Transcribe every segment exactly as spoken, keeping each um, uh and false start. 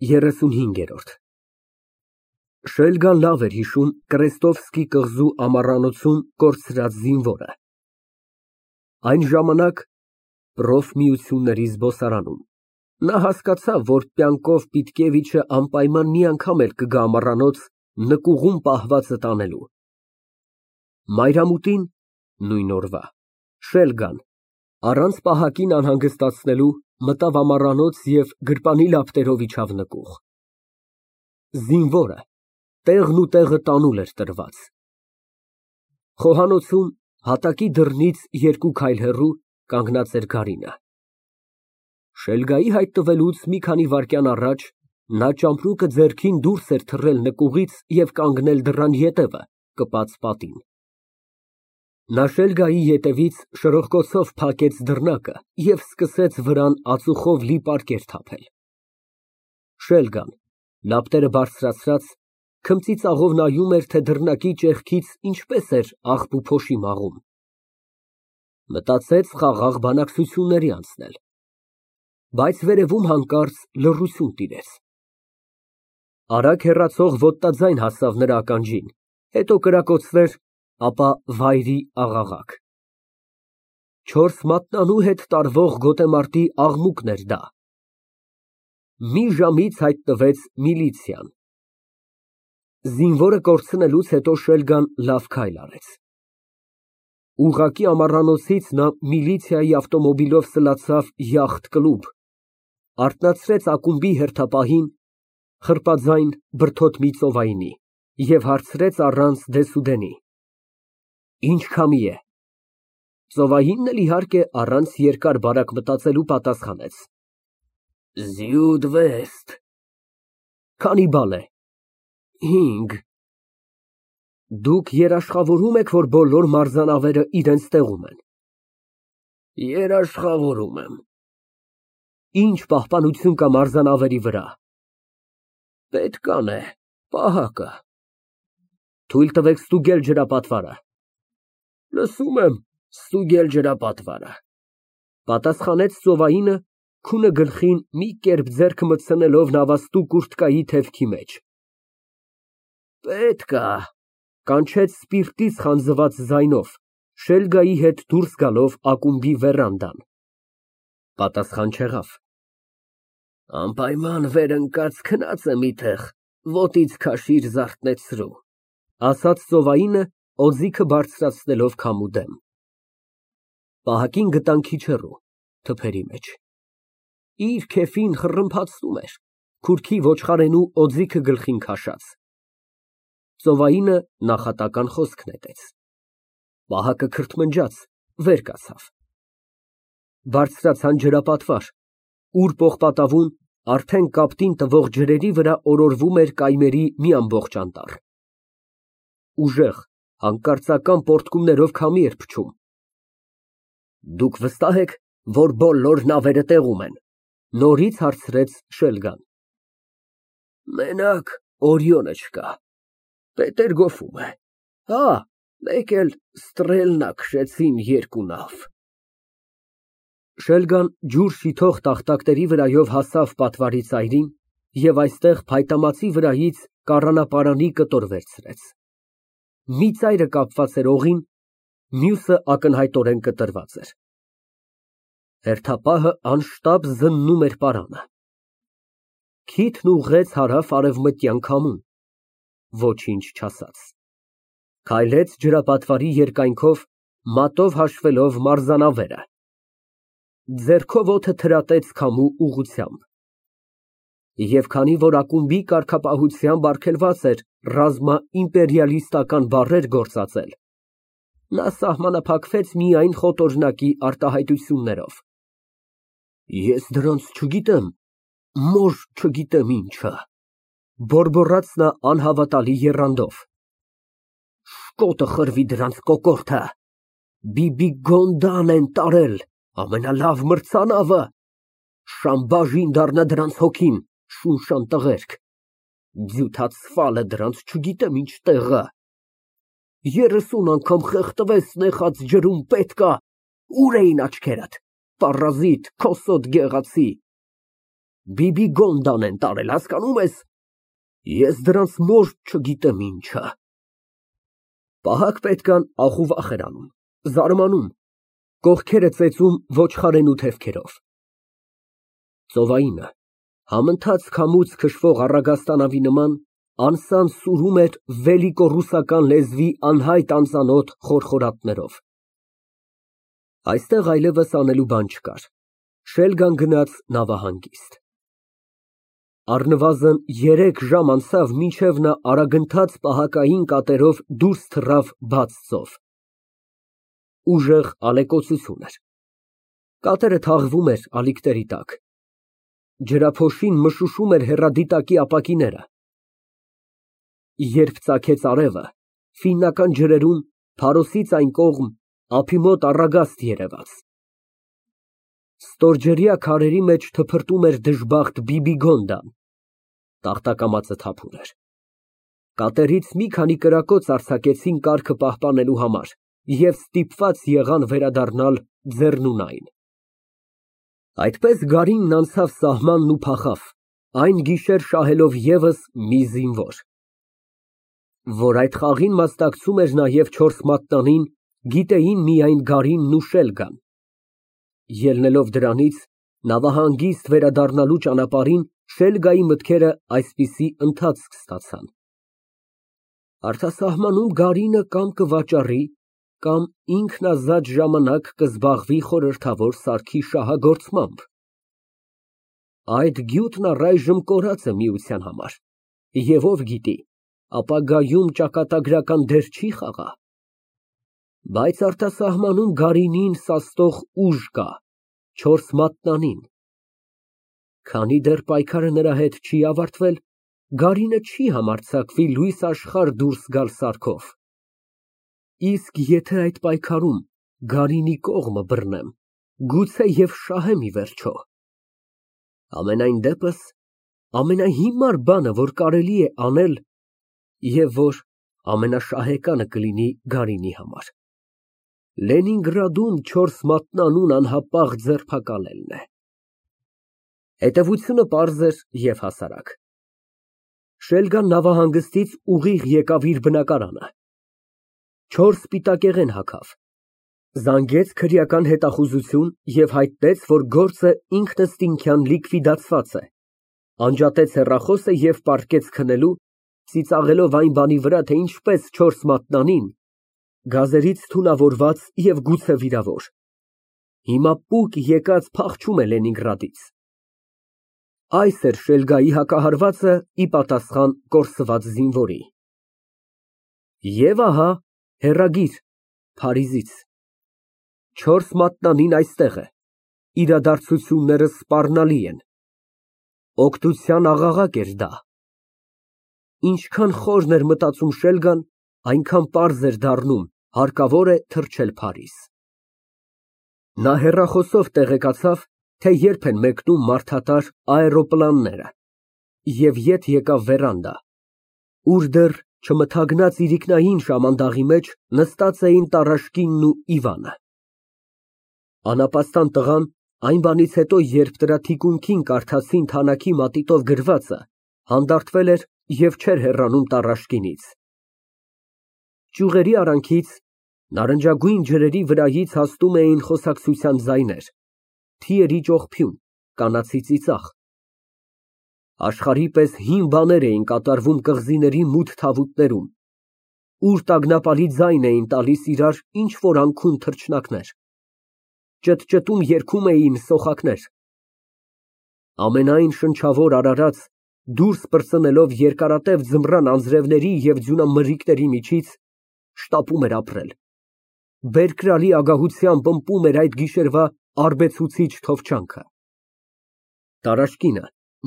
ԵՐԵՍՈՒՆՀԻՆԳԵՐՈՐԴ Շելգան լավ էր հիշում Կրեստովսկի կղզու ամառանոցում կորցրած զինվորը, այն ժամանակ проֆմիությունների զբոսարանում, նա հասկացավ, որ պյանկով Պիտկևիչը անպայման մի անգամ էլ կգա ամառանոց նկուղում պահվածը տանելու։ Մայրամուտին (նույն օրվա) Շելգան, առանց պահակին անհանգստացնելու, մտավ ամառանոց և գրպանի լապտերով իջավ նկուղ։ Զինվորը տեղն ու տեղը տանուլ էր տրված։ Խոհանոցում, հատակի դռնից երկու քայլ հեռու, կանգնած էր Կարինը։ Շելգայի հայտնվելուց մի քանի վայրկյան առաջ նա ճամպրուկը ձեռքին դուրս էր թռել նկուղից և կանգնել դռան ետևը, կպած պատին։ Նա Շելգայի ետևից շրոխկոցով փակեց դռնակը և սկսեց վրան ածուխով լի պարկեր թափել։ Շելգան, լապտերը բարձրացրած, քմծիծաղով նայում էր, թե դռնակի ճեղքից ինչպես էր աղբ ու փոշի մաղում։ Մտածեց խաղաղ բանակցությունների անցնել։ Բայց վերևում հանկարծ լռություն տիրեց։ Արագ հեռացող ոտնաձայն հասավ նրա ականջին, հետո կրակոցներ, ապա վայրի աղաղակ։ Չորս մատնանու հետ տարվող գոտեմարտի աղմուկն էր դա։ Մի ժամից հայտնվեց միլիցիան։ Զինվորը կորցնելուց հետո Շելգան լավ քայլ արեց։ Ուղղակի ամառանոցից նա միլիցիայի ավտոմոբիլով սլացավ յախտ֊կլուբ, արթնացրեց ակումբի հերթապահին, խրպաձայն, բրդոտ մի ծովայինի, և հարցրեց առանց դեսուդենի. Ի՞նչ քամի է։ Ծովայինն էլ, իհարկե, առանց երկար բարակ մտածելու պատասխանեց. Զյուդվեստ։ Քանի բալ է։ Հինգ։ Դուք երաշխավորո՞ւմ եք, որ բոլոր մարտազնավերը իրենց տեղում են։ Երաշխավորում եմ։ Ի՞նչ պահպանություն կա մարտազնավերի վրա։ Պետքան է, պահակը։ Թույլ տվեք ստուգել ջրապատվարը։ Լսում եմ, ստուգել ջրապատվարը, պատասխանեց ծովայինը, քունը գլխին մի կերպ ձեռքը մտցնելով նավաստու կուրտկայի թևքի մեջ։ Պետք ա, կանչեց սպիրտից խանձված ձայնով, Շելգայի հետ դուրս գալով ակումբի վերանդան։ Պատասխան չեղավ։ Անպայման վեր ընկած քնած եմ մի տեղ, ոտից քաշիր զարթնեցրու, ասաց ծովայինը, օձիքը բարձրացնելով քամու դեմ։ Պահակին գտան քիչ հեռու, թփերի մեջ։ Իր քեֆին խռմփացնում էր, քուրքի ոչխարենու օձիքը գլխին քաշած։ Ծովայինը նախատական խոսք նետեց։ Պահակը քրթմնջաց, վեր կացավ։ Բարձրացան ջրապատվար, ուր պողպատավուն, արդեն կապտին տվող ջրերի վրա օրորվում էր կայմերի մի ամբողջ անտառ։ Ուժեղ, հանկարծական պոռթկումներով քամի էր փչում։ Դուք վստահ եք, որ բոլոր նավերը տեղում են, նորից հարցրեց Շելգան։ Մենակ Օրիոնը չկա, Պետերգոֆում է, հա, մեկ էլ Ստրելնա քշեցին երկու նավ։ Շելգան ջուր շիթող տախտակների վրայով հասավ պատվարի ծայրին և այստեղ փայտամածի վրայից կառանապարանի կտոր վերցրեց։ Մի ծայրը կապված էր օղին, մյուսը ակնհայտորեն կտրված էր։ Հերթապահը անշտապ զննում էր պարանը։ Քիթն ուղղեց հարավ֊արևմտյան քամուն, ոչինչ չասաց։ Քայլեց ջրապատվարի երկայնքով, մատով հաշվելով մարտազնավերը։ Ձեռքով օդը թրատեց քամու ուղղությամբ։ Եվ քանի որ ակումբի կարգապահությամբ արգելված էր ռազմաիմպերիալիստական բառեր գործածել, նա սահմանափակվեց միայն խոտորնակի արտահայտություններով։ Ես դրանց չգիտեմ, մոր չգիտեմ ինչը, բորբոռաց նա անհավատալի եռանդով։ Շկոտը խրվի դրանց կոկորդը, Բիբիգոնդան են տարել, ամենալավ մրցանավը, Շամբաժին դառնա դրանց հոգին, շունշան տղերք, ձյութացվալը դրանց չգիտեմ ինչ տեղը, երեսուն անգամ խեղդվես նեխած ջրում պետքա, ուր էին աչքերդ, պարազիտ, քոսոտ գեղացի։ Բիբիգոնդան են տարել, հասկանում ես։ Ես դրանց մորթ չգիտեմ ինչը։ Պահակ֊պետքան ախուվախ էր անում, զարմանում, կողքերը ծեծում ոչխարենու թևքերով։ Ծովայինը համընթաց քամուց քշվող առագաստանավի նման անսան սուրում էր վելիկո ռուսական լեզվի անհայտ անծանոթ խորխորատներով։ Այստեղ այլևս անելու բան չկար, Շելգան գնաց նավահանգիստ։ Առնվազն երեք ժամ անցավ, մինչև նա արագընթաց պահակային կատերով դուրս թռավ բաց ծով։ Ուժեղ ալեկոծություն էր։ Կատերը թաղվում էր ալիքների տակ։ Ջրափոշին մշուշում էր հեռադիտակի ապակիները։ Երբ ծագեց արևը, ֆիննական ջրերում, Փարոսից այն կողմ, ափի մոտ առագաստ երևաց։ Ստորջրյա քարերի մեջ թփրտում էր դժբախտ Բիբիգոնդան, տախտակամածը թափուր էր։ Կատերից մի քանի կրակոց արձակեցին կարգը պահպանելու համար և ստիպված եղան վերադառնալ Ձեռնունայն։ Այդպես Գարինն անցավ սահմանն ու փախավ, այն գիշեր շահելով ևս մի զինվոր։ Որ այդ խաղին մասնակցում էր նաև չորս մատնանին, գիտեին միայն Գարինն ու Շելգան։ Ելնելով դրանից, նավահանգիստ վերադառնալու ճանապարհին Շելգայի մտքերը այսպիսի ընթացք ստացան. Արտասահմանում Գարինը կամ կվաճառի, կամ ինքն ազատ ժամանակ կզբաղվի խորհրդավոր սարքի շահագործմամբ։ Այդ գյուտն առայժմ կորած է Միության համար, և ով գիտի, ապագայում ճակատագրական դեր չի խաղա։ Բայց արտասահմանում Գարինին սաստող ուժ կա, չորս մատնանին։ Քանի դեռ պայքարը նրա հետ չի ավարտվել, Գարինը չի համարձակվի լույս աշխարհ դուրս գալ սարքով։ Իսկ եթե այդ պայքարում Գարինի կողմը բռնեմ, գուցե և շահեմ ի վերջո։ Համենայն դեպս, ամենահիմար բանը, որ կարելի է անել, և որ ամենաշահեկանը կլինի Գարինի համար, Լենինգրադում չորս մատնանուն անհապաղ ձերբակալելն է։ Հետևությունը պարզ էր և հասարակ։ Շելգան նավահանգստից ուղիղ եկավ իր բնակարանը։ Չորս սպիտակեղեն հագավ, զանգեց քրեական հետախուզություն և հայտնեց, որ գործը ինքնըստինքյան լիկվիդացված է, անջատեց հեռախոսը և պառկեց քնելու, ծիծաղելով այն բանի վրա, թե ինչպես չորս մատնանին, գազերից թունավորված և գուցե վիրավոր, հիմա պուկ եկած փախչում է Լենինգրադից։ Այս էր Շելգայի հակահարվածը ի պատասխան կորսված զինվորի։ Եվ ահա հեռագիր Փարիզից. Չորս մատնանին այստեղ է, իրադարձությունները սպառնալի են։ Օգնության աղաղակ էր դա։ Ինչքան խորն էր մտածում Շելգան, այնքան պարզ էր դառնում, հարկավոր է թռչել Փարիզ։ Նա հեռախոսով տեղեկացավ, թե երբ են մեկնում մարդատար աերոպլանները, և ետ եկավ վերանդա, ուր դեռ չմթագնած իրիկնային շամանդաղի մեջ նստած էին Տարաշկինն ու Իվանը։ Անապաստան տղան այն բանից հետո, երբ դրա թիկունքին կարդացին թանաքի մատիտով գրվածը, հանդարտվել էր և չէր հեռանում Տարաշկինից։ Ճյուղերի արանքից, նարնջագույն ջրերի վրայից հասնում էին խոսակցության ձայներ, թիերի ճողփյուն, կանացի ծիծաղ։ Աշխարհի պես հին բաներ էին կատարվում կղզիների մութ թավուտներում, ուր տագնապալի ձայն էին տալիս իրար ինչ֊որ անքուն թռչնակներ, ճտճտում երգում էին սոխակներ։ Ամենայն շնչավոր արարած, դուրս պրծնելով երկարատև ձմռան անձրևների և ձյունամրրիկների միջից, շտապում էր ապրել, բերկրալի ագահությամբ ըմպում էր այդ գիշերվա արբեցուցիչ թովչանքը։ Տարաշկինը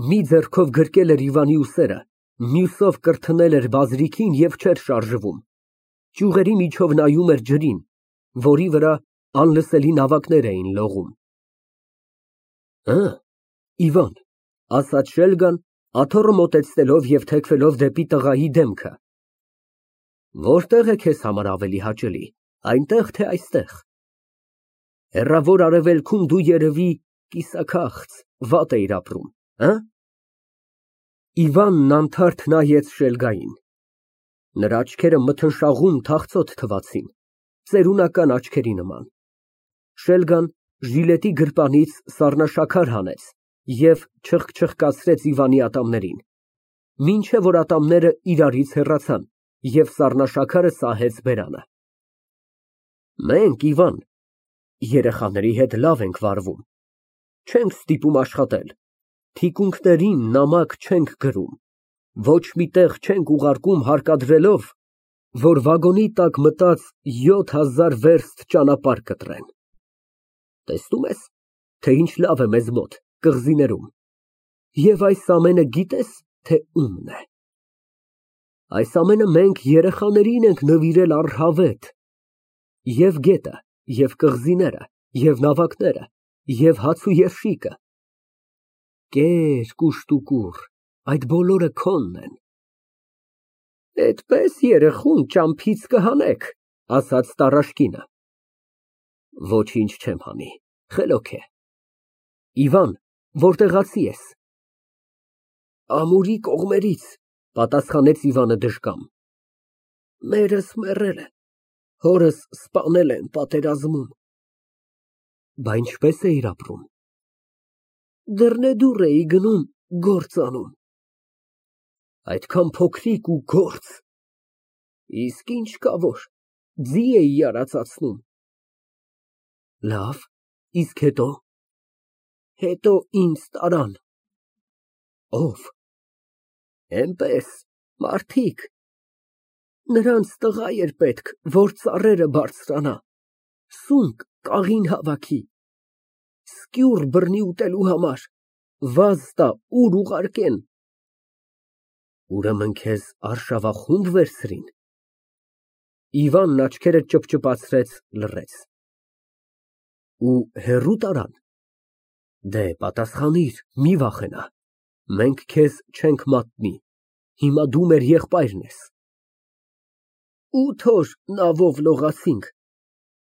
մի ձեռքով գրկել էր Իվանի ուսերը, մյուսով կրթնել էր բազրիքին և չէր շարժվում, ճյուղերի միջով նայում էր ջրին, որի վրա անլսելի նավակներ էին լողում։ Հը, Իվան, ասաց Շելգան, աթոռը մոտեցնելով և թեքվելով դեպի տղայի դեմքը, որտե՞ղ է քեզ համար ավելի հաճելի, այնտեղ, թե այստեղ։ Հեռավոր արևելքում դու երևի կիսաքաղց, վատ էիր ապրում, Հը՞։ Իվանն անթարթ նայեց Շելգային։ Նրա աչքերը մթնշաղուն թախծոտ թվացին, ծերունական աչքերի նման։ Շելգան ժիլետի գրպանից սառնաշաքար հանեց և չխկչխկացրեց Իվանի ատամներին, մինչև որ ատամները իրարից հեռացան, և սառնաշաքարը սահեց բերանը։ Մենք, Իվան, երեխաների հետ լավ ենք վարվում, չենք ստիպում աշխատել, թիկունքներին նամակ չենք գրում, ոչ մի տեղ չենք ուղարկում հարկադրելով, որ վագոնի տակ մտած յոթ հազար վերստ ճանապարհ կտրեն։ Տեսնում ես, թե ինչ լավ է մեզ մոտ, կղզիներում, և այս ամենը գիտե՞ս, թե ումն է։ Այս ամենը մենք երեխաներին ենք նվիրել առհավետ, և գետը, և կղզիները, և նավակները, և հաց ու երշիկը։ Կեր, կուշտուկուր, այդ բոլորը քոնն են։ Էդպես երեխուն ճամփից կհանեք, ասաց տառաշկինը։ Ոչինչ չեմ հանի, խելոք է։ Իվան, որտեղացի ես։ Ամուրի կողմերից, պատասխանեց Իվանը դժկամ։ Մերս մեռել է, հորս սպանել են պատերազմում։ Բա ինչպես էիր ապրում։ Դռնեդուռ էի գնում, գործ անում։ Այդքան փոքրիկ ու գործ։ Իսկ ինչ կա որ, ձի էի արածացնում։ Լավ, իսկ հետո։ Հետո ինձ տարան։ Ո՞վ։ Էնպես, մարդիկ։ Նրանց տղա էր պետք, որ ծառերը բարձրանա, սունկ, կաղին հավաքի, սկյուռ բռնի ուտելու համար, վազ տա, ուր ուղարկեն։ Ուրեմն քեզ արշավախո՞ւմ վերցրին։ Իվանն աչքերը ճպճպացրեց, լռեց։ Ու հեռու տարան։ Դե, պատասխանիր, մի վախենա, մենք քեզ չենք մատնի, հիմա դու մեր եղբայրն ես։ Ութ օր նավով լողացինք,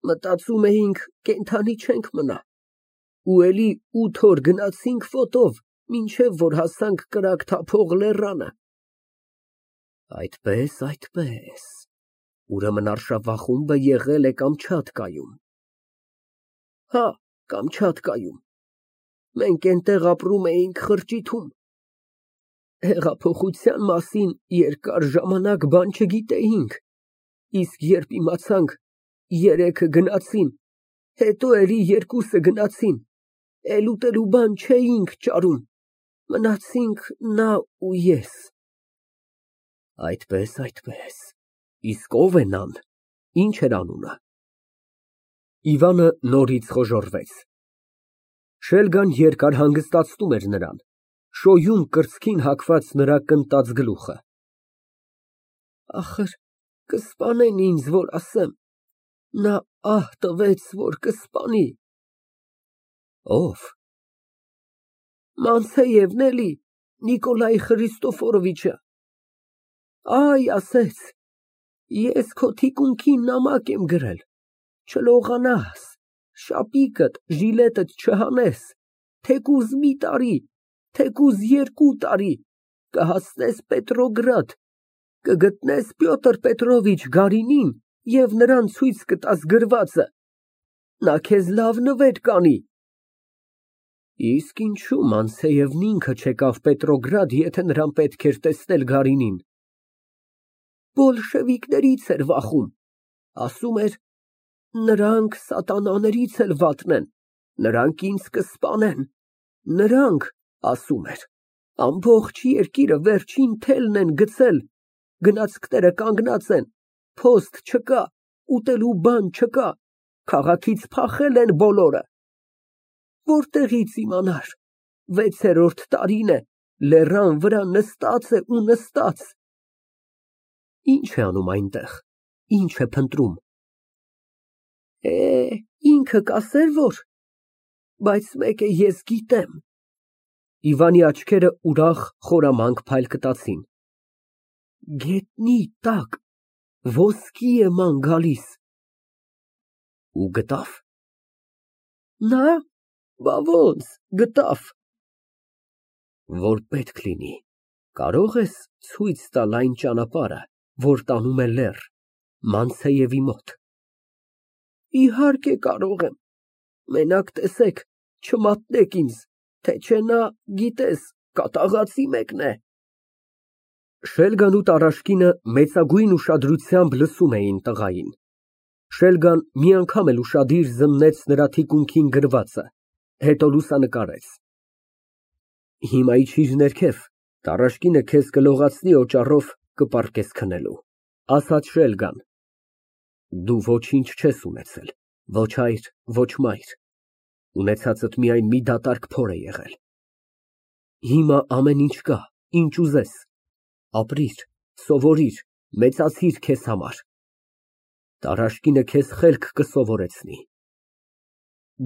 մտածում էինք կենդանի չենք մնա, ու էլի ութ օր գնացինք ոտով, մինչև որ հասանք կրակ թափող լեռանը։ Այդպես, այդպես, ուրեմն արշավախումբը եղել է Կամչատկայում։ Հա, Կամչատկայում, մենք էնտեղ ապրում էինք խրճիթում։ Հեղափոխության մասին երկար ժամանակ բան չգիտեինք, իսկ երբ իմացանք, երեքը գնացին, հետո էլի երկուսը գնացին, էլ ուտելու բան չէինք ճարում, մնացինք նա ու ես։ Այդպես, այդպես, իսկ ո՞վ է նան, ինչ էր անունը։ Իվանը նորից խոժոռվեց։ Շելգան երկար հանգստացնում էր նրան, շոյում կրծքին հագված նրա կնտած գլուխը։ Ախր, կսպանեն ինձ, որ ասեմ, նա ահ տվեց, որ կսպանի։ Ո՞վ։ Մանցեևն էլի, Նիկոլայ Խրիստոֆորովիչը։ Այ, ասեց, ես քո թիկունքին նամակ եմ գրել, չլողանաս, շապիկդ, ժիլետդ չհանես, թեկուզ մի տարի, թեկուզ երկու տարի, կհասնես Պետրոգրադ, կգտնես Պյոտր Պետրովիչ Գարինին և նրան ցույց կտաս գրվածը, նա քեզ լավ նվեր կանի։ Իսկ ինչու Մանցեևն ինքը չեկավ Պետրոգրադ, եթե նրան պետք էր տեսնել Գարինին։ Բոլշևիկներից էր վախում, ասում էր, նրանք սատանաներից էլ վատն են, նրանք ինձ կսպանեն, նրանք, ասում էր, ամբողջ երկիրը վերջին թելն են գցել, գնացքները կանգնած են, փոստ չկա, ուտելու բան չկա, քաղաքից փախել են բոլորը։ Որտեղից իմանար, վեցերորդ տարին է, լեռան վրա նստած է ու նստած։ Ինչ է անում այնտեղ, ինչ է փնտրում։ Է, ինքը կասեր որ, բայց մեկը ես գիտեմ։ Իվանի աչքերը ուրախ խորամանկ փայլկտացին։ Գետնի տակ ոսկի է ման գալիս։ Ու գտավ։ Նա, բա ոնց, գտավ։ Որ պետք լինի, կարող ես ցույց տալ այն ճանապարհը, որ տանում է լեռ, Մանցեևի մոտ։ Իհարկե կարող եմ, մենակ տեսեք, չմատնեք ինձ, թե չէ նա, գիտես, կատաղածի մեկն է։ Շելգան ու Տարաշկինը մեծագույն ուշադրությամբ լսում էին տղային։ Շելգան մի անգամ էլ ուշադիր զննեց նրա թիկունքին գրվածը, հետո լուսանկարեց։ Հիմա իջիր ներքև, Տարաշկինը քեզ կլողացնի օճառով, կպառկես քնելու, ասաց Շելգան։ Դու ոչինչ չես ունեցել, ոչ հայր, ոչ մայր, ունեցածդ միայն մի դատարկ փոր է եղել։ Հիմա ամեն ինչ կա, ինչ ուզես, ապրիր, սովորիր, մեծացիր քեզ համար։ Տարաշկինը քեզ խելք կսովորեցնի։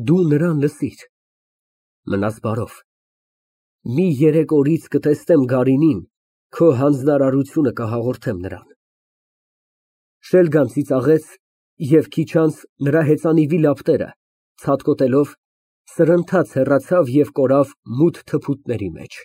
Դու նրան լսիր։ Մնաս բարով։ Մի երեք օրից կտեսնեմ Գարինին, քո հանձնարարությունը կհաղորդեմ նրան։ Շելգան ծիծաղեց և քիչ անց նրա հեծանիվի լապտերը ցատկոտելով սրընթաց հեռացավ և կորավ մութ թփուտների մեջ։